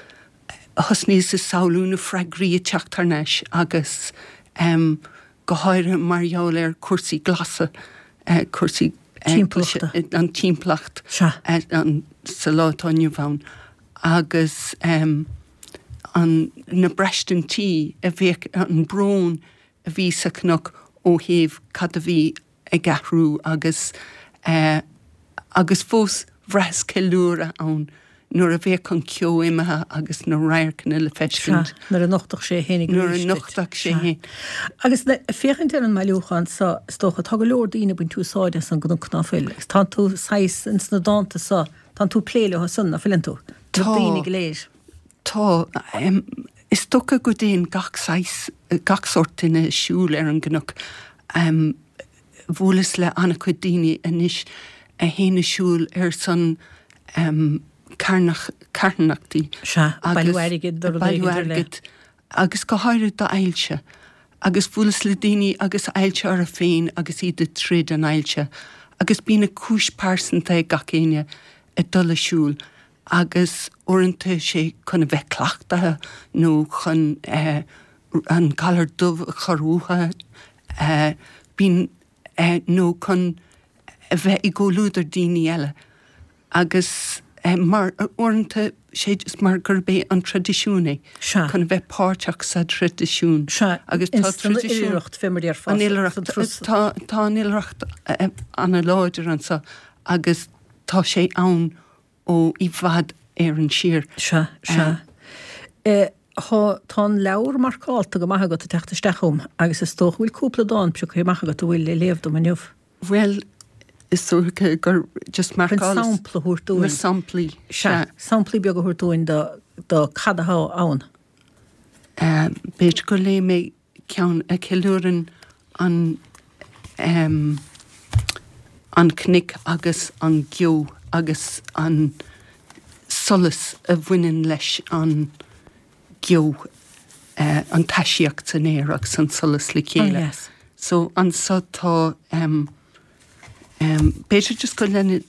thosnaíos ag samhlú na freagraí ag teacht thar n-ais agus go háirithe mar gheall ar chúrsaí glasa, cúrsaí timpeallachta, an timpeallacht sa lá atá inniu ann agus an, na braistintí a bheadh, an brón a bhí sa chnoc ó thaobh cad a bhí ag athrú agus agus fós bhraitheas ceiliúradh ann nuair a bheadh an ceo imithe agus na radharcanna le feiscint. Sea, nuair a nochtadh sé féin arís duit. Nuair a nochtadh sé féin. Agus féachaint ar an mbailiúchán seo, is dócha, tá go leor daoine ag baint úsáide as an gcnoc, ná fuil? Agus tánn tú saghas ins na dánta seo, tánn tú ag plé leo san, ná fuileann tú? Tá. Na daoine go léir. Tá. Is dócha go dtéann gach saghas, gach sórt duine ag siúl ar an gcnoc. Bhuaileas le an-chuid daoine anois a théann ag siúl ar son carthanachtaí. Sea, bailiú airgid do rud éigin ar leith. Agus go háirithe d'ailse. Agus bhuaileas le daoine agus ailse orthu féin agus iad ag troid an ailse. Agus bíonn a cúis pearsanta ag gach éinne ag dul ag siúl. agus uaireanta sé chun a bheith cleachtaithe nó chun an galar dubh a chur uathu, bíonn, nó chun a bheith i gcomhluadar daoine eile agus mar uaireanta sé just mar gurb é an traidisiún é, chun a bheith páirteach sa traidisiún. Sea, agus tá traidisiún, an oilithreacht fé mar a déarfá. An oilithreacht, tá, tá an oilithreacht ana-láidir anseo agus Tá sé ann ó i bhfad Éireann siar. Sea, sea. Tá, tá an leabhar marcálta go maith agat ag teacht isteach chugam agus is dócha go bhfuil cúpla dán pioctha amach agat a bhfuil le léamh dom inniu. Bhuel, is dócha gur just marcáil. Chun sampla a thabhairt dúinn. Na samplaí, sea. Samplaí beaga a thabhairt dúinn do, do cad atá ann. B'fhéidir go léifidh mé ceann a cheiliúrann an an cnoic agus an geo agus an solas a bhaineann leis an geo, an taisíocht san aer agus an solas le chéile. So anso tá b'fhéidir just go leanfaidh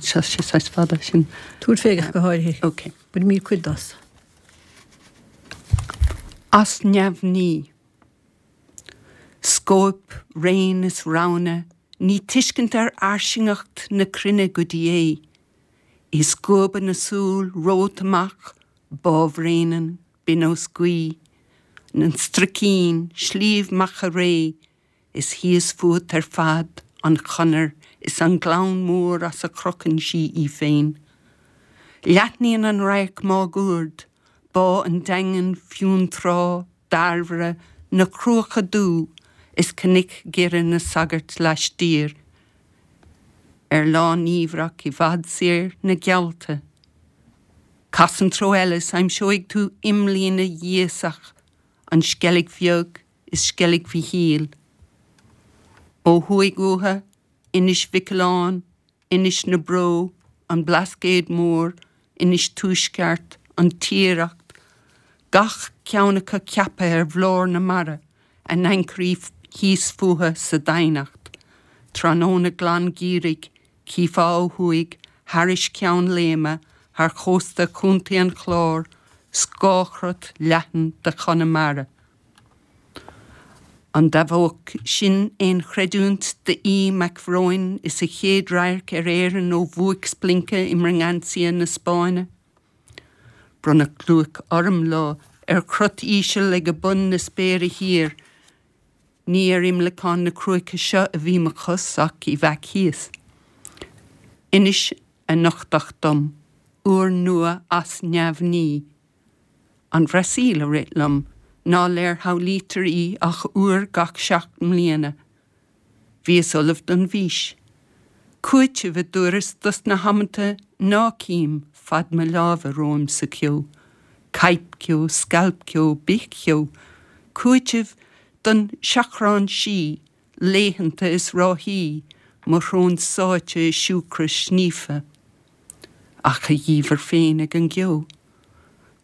sé saghas fada sin. Tabhair fé ach go háirithe. Ok. Bainfimid cuid as. As neamhní. Scóip, raon is roghanna, ní tuiscint ar fhairsingeacht na cruinne go dtí é. I scuaba na súl romhat amach, Bá Bhréanainn, binn os gaoith, an Struicín, Sliabh Macha Ré, Is thíos fút ar fad an chonair is an gleann mór as a chrochann sí í féin. Leathnaíonn an radharc máguaird, Bá an Daingin, Fionntrá, Dairbhre, na Cruacha Dubha is cnoic Dhoire na Sagart laistiar. Ar lá niamhrach i bhfad soir na geallta. Cas an treo eile is aimseoidh tú imlíne ghiosach an Sceilg Bheag is Sceilg Mhichíl. Ó thuaidh uathu, Inis Mhic Aoláin, Inis na Bró, an Blascaod Mór, Inis Tuaisceart, an Tiaracht, gach ceann acu ceaptha ar bhlár na mara, a n-ancairí thíos fúthu sa doimhneacht. Tráthnóna glan geimhridh, Chífeá ó thuaidh, thairis Ceann Léime, thar chósta Chontae an Chláir, scáthchrot leathan de Chonamara. An dtabhódh sin aon chreidiúint d'Aodh Mac Bhróin is a chéad radharc ar Éirinn ó bhuaic-splionca i mBraganza na Spáinne? Bronnadh gliúic orm lá ar chrot íseal ag bun na spéire thiar. Ní ar imleacán na cruaiche seo a bhí mo chos ach i bhfeac thíos. Anois a nochtadh dom, uair nua as neamhní. An Bhrasaíl a rith liom, ná léirshamhlaítear í ach uair gach 7 mbliana. Bhíos ullamh don bhfís. Cúiteamh, a dúras, dos na hamanta ná cím fad mo láimhe romham sa cheo. Caidhpcheo, scailpcheo, bithcheo. Cúiteamh don seachrán sí, laethanta is ráithí, mo shrón sáite i siúcra sníofa. Ach a dhiamhair féin ag an gceo.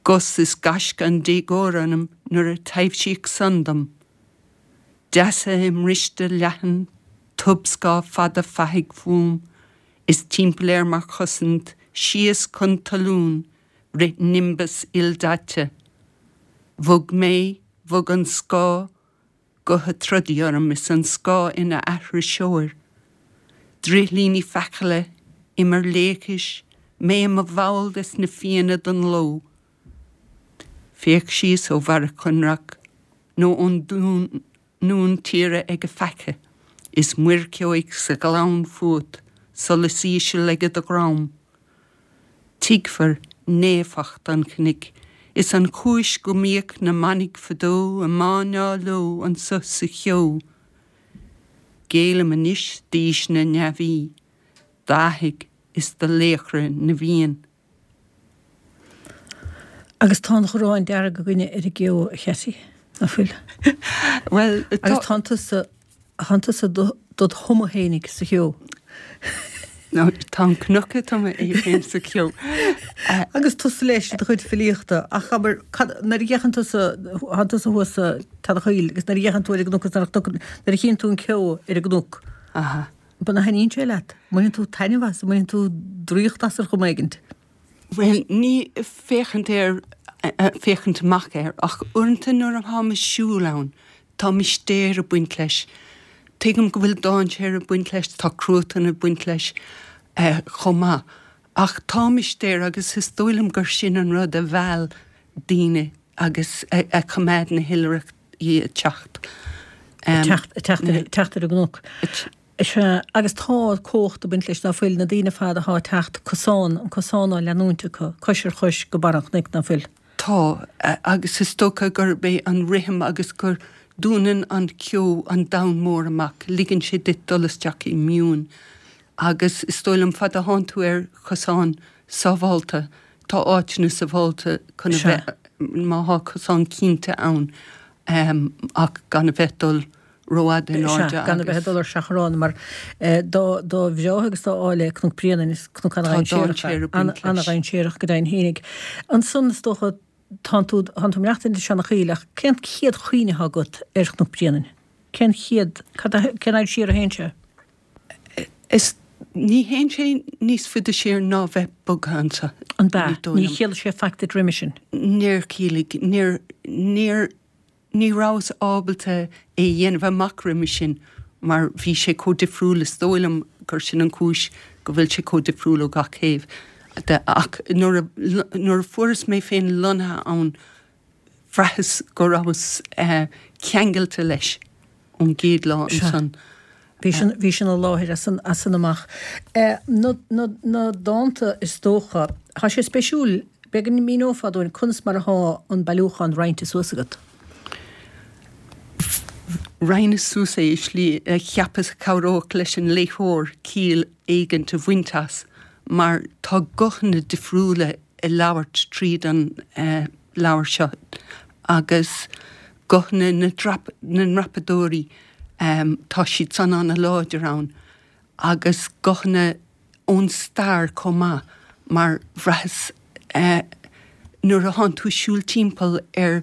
Gus is gaisce an déagóra ionam nuair a taibhsíodh san dom. Deasa i mbriste leathan, tobscáth fada fathaigh fúm, is timpeall air mar chosaint, síos chun talún, rith nimbus ildaite. Bhog mé, bhog an scáth, Guth ag troid orm is an scáth ina aithriseoir. Drithlíní fichille, imir laochais, mé i mo bhall des na Fianna don ló. Féach síos ó bharra Coinreach nó ón ndún tíre ag a faiche, is muircheoigh sa ghleann fút, solas íseal ag do dhroim. Tuigfir naofacht an chnoic is an chúis go mbíodh na manaigh fadó a máinneá leo anso sa cheo. Géillim anois d'aois na neamhaí, d'fhathaigh is do laochra na bhFiann. Agus tá an ghráin dearg againne ar an gceo, a Chattie, ná fuil? Bhuel, tá. Agus tánn tusa Thánn tusa dod thumadh fhéinig sa cheo. Nó tá an cnoc ag tumadh é féin sa cheo. Agus tusa leis i do chuid filíochta. Ach abair, cad, nuair a fhéachann tusa, thánn tusa thuas sa Teallach Chaoil agus nuair a fhéachann tú ar an gcnoc is nuair a chnoc, nuair a chíonn tú an ceo ar an gcnoc, Aha. an dtaitníonn sé leat? An mbaineann tú taitneamh as? An mbaineann tú draíocht as ar chuma éigint? Bhuel, ní féachaint air, féachaint amach air, ach uaireanta nuair atáim ag siúl ann, tá mistéir ag baint leis. Tuigim go bhfuil dainséar ag baint leis, tá cruatan ag baint leis chomh maith, ach tá mistéir agus is dóigh liom gur sin an rud a mheall daoine agus a choimeád na hoilithrigh ag teacht. Ag teacht ar an gcnoc. Sea, agus tá cumhacht ag baint leis, ná fuil, na daoine ar fad athá ag teacht, cosán, an cosán á leanúint acu, cois ar chois go barr an chnoic, ná fuil? Tá, agus is dócha gurb é an rithim agus gur dúnann an ceo an domhan mór amach, ligeann sé duit dul isteach i mbiúin agus is dóigh liom fad a thánn tú ar chosán sábhálta, tá áiteanna sábhálta chun a bheith, má thá cosán cinnte ann, ach gan a bheith dul rófhada in airde agus. Gan a bheith ag dul ar seachrán mar dá bhreátha agus dá áille Cnoc Bréanainn, is cnoc ana-dhainséarach é, ana-dhainséarach go deimhin fhéinig. Ansan is dócha tánn tú, tánn tú ag maireachtaint i Seanadh ach cén chéad chuimhne atá agat ar Chnoc Bréanainn? Cén chéad, cad a, cén fhad siar a théann sé? Is, ní théann sé níos faide siar ná bheith bogtha anso, An b'ea? ní dóigh Ní liom. chiallaigh sé faic duit roimhe sin? Níor chiallaigh, níor, níor Ní rabhas ábalta é a dhéanamh amach roimhe sin mar bhí sé chomh difriúil, is dóigh liom gur sin an chúis go bhfuil sé chomh difriúil ó gach taobh de. Ach nuair a, nuair a fuaireas mé féin lonnaithe ann, bhraitheas go rabhas ceangailte leis ón gcéad lá ansan. Bhí sin, bhí sin i láthair as san, as san amach. Na, na, na dánta is dócha, tá sé spéisiúil, b'fhéidir go míneofá dúinn conas mar athá an bailiúchán roinnte suas agat. Roinneas suas é i slí a cheapas a chabhródh leis an léitheoir ciall éigint a bhaint as, mar tá guthanna difriúla ag labhairt tríd an leabhar seo agus guthanna na ndreapadóirí, tá siad san ana-láidir ann, agus guthanna ón stair chomh maith, mar bhraitheas nuair a thánn tú ag siúl timpeall air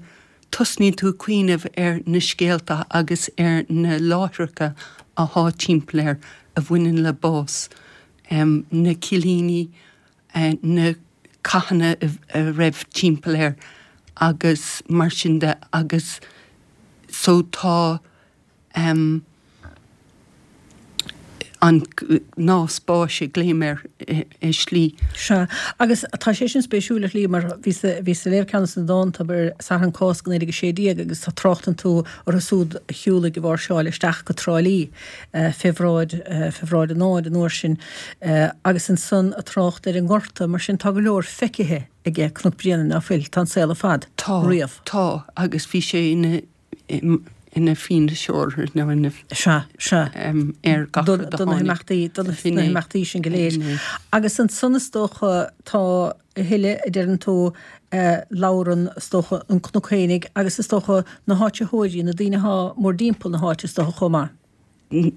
tosnaíonn tú ag cuimhneamh ar na scéalta agus ar na láithreacha athá timpeall air a bhaineann le bás, na cillíní, na cathanna a raibh timpeall air agus mar sin de agus so tá. An nás báis a ghlaoim air i slí. Sea. Agus tá sé sin spéisiúil ar shlí mar bhíos bhíos ag léamh ceann de na dánta ar Satharn Cásca 1916 agus tá tráchtann tú orthu siúd a shiúlaigh ag máirseáil isteach go Trá Lí fé bhráid fé bhráid an fháid an uair sin agus ansan ag trácht ar an nGorta mar sin tá go leor feicithe aige Cnoc Bréanainn ná fuil? Tá an saol ar fad. Tá. Riamh. Tá agus bhí sé ina ina fianaiseoir nó ina Sea, sea. ar gach rud a Do na tháinig himeachtaí, do na himeachtaí sin go léir. Agus ansan is dócha tá a thuilleadh a deireann tú, labhrann is dócha an cnoc fhéinig agus is dócha na háititheoirí, na daoine athá mórdtimpeall na háite is dócha chomh maith.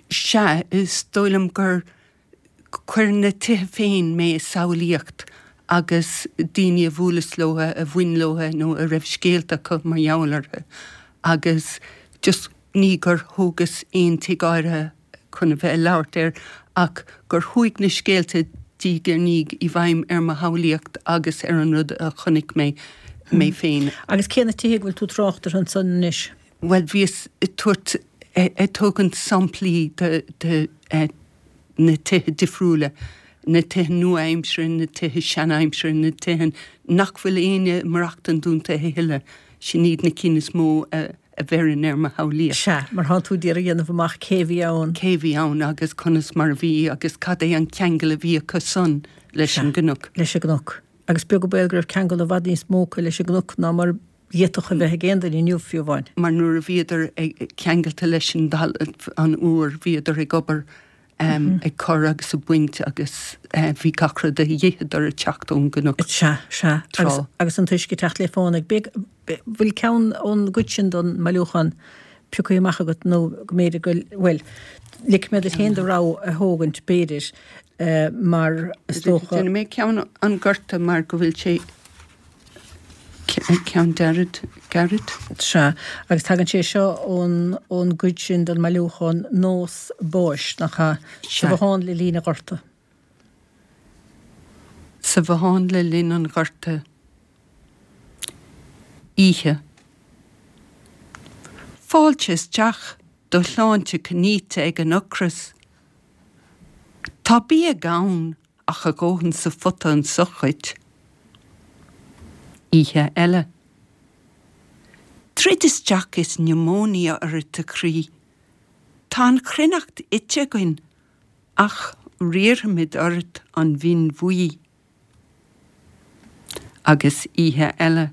Sea, is dóigh liom gur Cuireann na tithe féin mé i samhlaíocht agus daoine a bhuaileas leo, a bhain leo nó a raibh scéalta acu mar gheall orthu agus just ní gur thógas aon tigh áirithe chun a bheith ag labhairt air ach gur chuaigh na scéalta diaidh ar ndiaidh i bhfeidhm ar mo shamhlaíocht agus ar an rud a chonaic mé mé féin. Agus cé na tithe go bhfuil tú ag trácht orthu ansan anois? Bhuel, bhíos ag tabhairt, ag tógaint samplaí de de na tithe difriúla, na tithe nua-aimseartha, na tithe sean-aimseartha, na tithe nach bhfuil éinne ag maireachtaint iontu a thuilleadh, sin iad na cinn is mó a a bheireann ar mo shamhlaíocht. Sea, mar thánn tú d'iarraidh a dhéanamh amach cé a bhí ann. Cé a bhí ann agus conas mar a bhí agus cad é an ceangal a bhí acu san leis Sea, an gcnoc. leis an gcnoc. Agus beag an baol go raibh ceangal i bhfad níos mó acu leis an gcnoc ná mar d'fhéadfadh a bheith ag aon duine inniu, fiú amháin. mar nuair a bhíodar ceangailte leis an dtalamh an úr, bhíodar ag obair, ag cur agus ag baint agus bhí gach rud a d'itheadar ag teacht ón gcnoc. Sea, sea. Tráth. Agus an t-uisce ag teacht le fánaidh. Bhfuil ceann ón gcuid sin den mbailiúchán pioctha amach agat nó go mb'fhéidir go, bhuel, ligfidh mé duit féin do rogha a thógaint, b'fhéidir, mar is dócha. Déanfaidh mé ceann an Ghorta mar go bhfuil sé Ceann dearid, gairid. Sea, agus tagann sé seo ón, ón gcuid sin den mbailiúchán Nós Báis, nach ea? Sea. Sa bhothán le linn an Ghorta. Sa bhothán le linn an Ghorta. Oíche. Fáilte isteach, do shláinte cnaíte ag an ocras. Tá bia gann ach a dhóthain sa phota anso dhuit. Oíche eile. Troid isteach is niomóinia ort a chroí. Tá an chruithneacht ite againn ach riarfaimid ort an mhin bhuí. Agus oíche eile.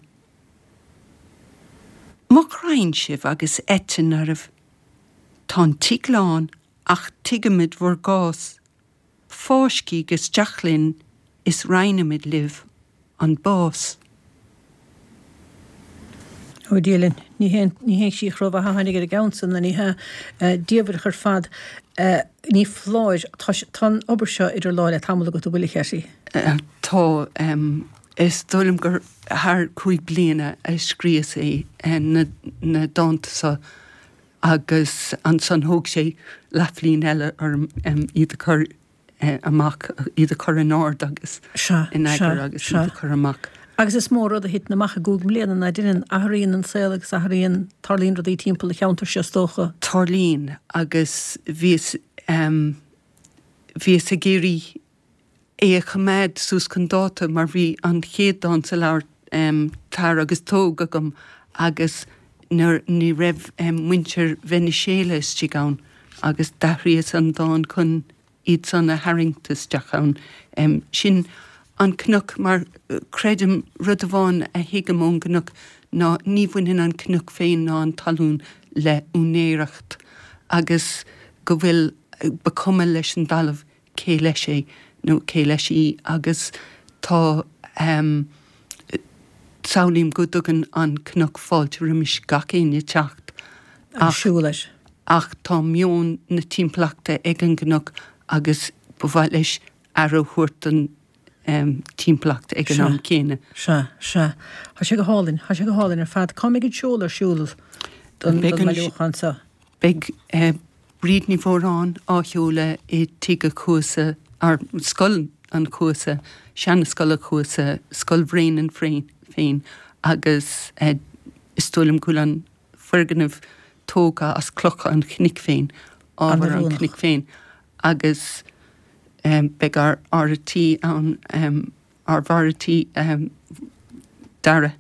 Mo ghraidhin sibh agus eitinn oraibh. Tá an tigh lán ach tuigimid bhur gcás. Fáiscíg isteach linn is roinnfimid libh an bás. Ó Dia linn, ní haon chríoch rómhaith a tháinig ar an gceann san, ní hea. Diamhrach ar fad. Ní foláir, tá tá an obair seo idir lámha le tamall agat, an bhfuil, a Chetty? Tá. Is dóigh liom gur thar chúig bliana a scríos é, na dánta seo. agus ansan thóg sé leathbhliain eile orm iad a chur amach, iad a chur in ord agus Sea, in sea, eagar agus sea. iad a chur amach. Agus is mó rud a thiteann amach i gcúig mbliana ná deineann, athraíonn an saol agus athraíonn, tarlaíonn rudaí timpeall an cheantair seo is dócha. Tarlaíonn agus bhíos, bhíos ag iarraidh é a choimeád suas chun dáta mar bhí an chéad dán sa leabhar Tar agus Tóg agam agus nuair ní raibh muintir Veiniséala istigh ann agus d'athraíos an dán chun iad san a tharraingt isteach ann. Sin an cnoc mar creidim rud amháin a thuigim ón gcnoc ná ní bhaineann an cnoc féin ná an talún le úinéireacht agus go bhfuil ba cuma leis an dtalamh cé leis é nó cé leis í agus tá samhlaím go dtugann an cnoc fáilte roimis gach éinne teacht ach siúl air. ach tá meon na timpeallachta ag an gcnoc agus ba mhaith leis aire a thabhairt don timpeallacht ag an am céanna. Sea, sea. Tá sé go hálainn, tá sé go hálainn ar fad. Cá mbeidh an seoladh ar siúl don mbailiúchán seo? Beidh Bríd Ní Mhóráin á sheoladh i Tigh a' Chuasa, or Scoil an Chuasa, seana-Scoil a' Chuasa, Scoil Bhréanainn féin agus is dóigh liom go bhfuil an foirgneamh. tógtha as clocha an chnoic féin, ábhar an chnoic féin agus beidh ár fhear a' tí ann, ár bhfear a' tí Dara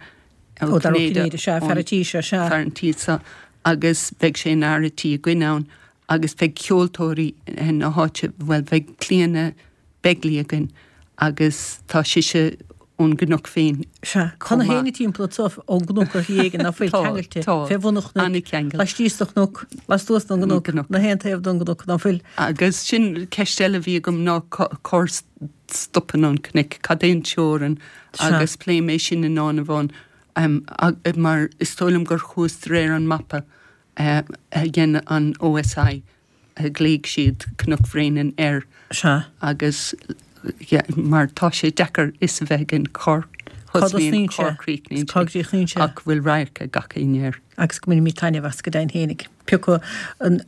Ó Cinnéide, sea, fear an tí seo, sea. Fear an tí seo agus beidh sé ina fhear a' tí againn ann agus beidh ceoltóirí na háite, bhuel beidh Clíona Begley againn agus tá sise ón gcnoc féin Sea, tá na héinne timpeall anso ón gcnoc ar shlí éigin ná fuil ceangailte fé bhun an chnoic, laistíos de chnoc, lastuas den gcnoc, na haon taobh den gcnoc ná fuil. Agus sin ceist eile a bhí agam ná cár stopann an cnoc, cad é an teorainn agus pléadh mé sin i ndán amháin mar is dóigh liom gur chuas de réir an mapa a dhein an OSI a ghlaoigh siad Cnoc Bhréanainn air. Sea. Agus mar tá sé deacair fhios a bheith againn cár thosnaíonn sé, cár gcríochnaíonn sé. Ach go bhfuil radharc ag gach éinne air. Agus go mbainfimid taitneamh as go deimhin fhéinig. Pé acu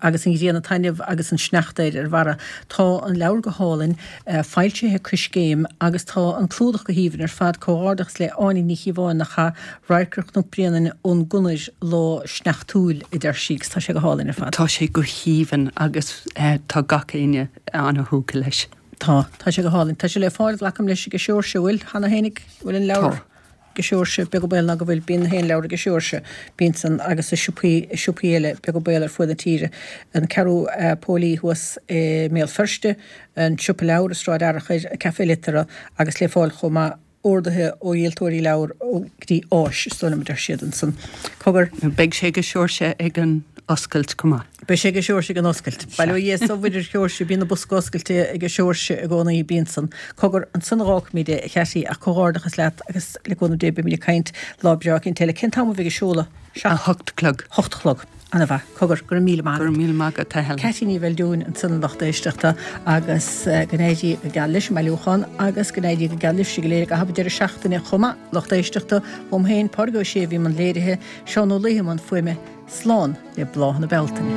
agus an ghrian ag taitneamh agus an sneachta ar ar bharra. Tá an leabhar go hálainn, foilsithe ag Coiscéim agus tá an clúdach go haoibhinn ar fad. Comhghairdeachas le Áine Ní Chíobháin a chaith radharc ar Chnoc Bréanainn ón gconair lá sneachtúil, a deir sí, agus tá sé go hálainn ar fad. Tá sé go haoibhinn agus tá gach éinne ana-thógtha leis. Tá. Tá sé go hálainn. Tá sé le fáil, glacaim leis, ag Seoirse, an bhfuil, cheana fhéinig? An bhfuil an leabhar? Tá. Ag Seoirse, beag an baol ná go bhfuil. Bíonn na haon leabhar ag Seoirse. Bíonn san agus i siopaí, i siopaí eile, beag an baol ar fuaid na tíre. An Ceathrú Póilí thuas i mBéal Feirste, an Siopa Leabhar i Sráid Fhearchair, Café Litera agus le fáil chomh maith orduithe ó dhíoltóirí leabhar ó go dtí Áis, is dóigh liom a deir siad ansan. Cogar. Beidh sé ag Seoirse ag an oscailt chomh maith. Beidh sé ag Seoirse ag an oscailt. Bail ó Dhia is ó Mhuire ar Sheoirse, bíonn an bosca oscailte ag Seoirse i gcónaí, bíonn san. Cogar, ansan a dh'fhágfaimid é, a Cheaití, ach comhghairdeachas leat agus le cúnamh Dé beimid ag caint lá breá eicínt eile. Cén t-am a bheidh an seoladh? 8 a chlog. 8 a chlog. Ana-mhaith. Cogar, go raibh míle maith agat. Go raibh míle maith agat, a Helen. Ceaití Ní Bheildiúin ansan a lucht éisteachta agus go n-éirí go geal leis an mbailiúchán agus go n-éirí go geal libhse go léir i gcaitheamh an deireadh seachtaine chomh maith, lucht éisteachta. Uaim féin, Pádraig Ó Sé a bhí i mbun léirithe, Seán Ó Laoithe i mbun fuaime. Slán le bláthanna Bealtaine.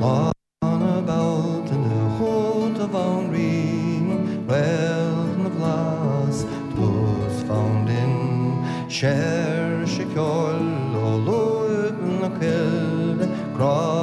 Lá na Bealtaine chugat a Bhanríon, Réalt na bhFlaitheas, tús fonn binn, Séirse ceoil ó lúib na coille, Grá.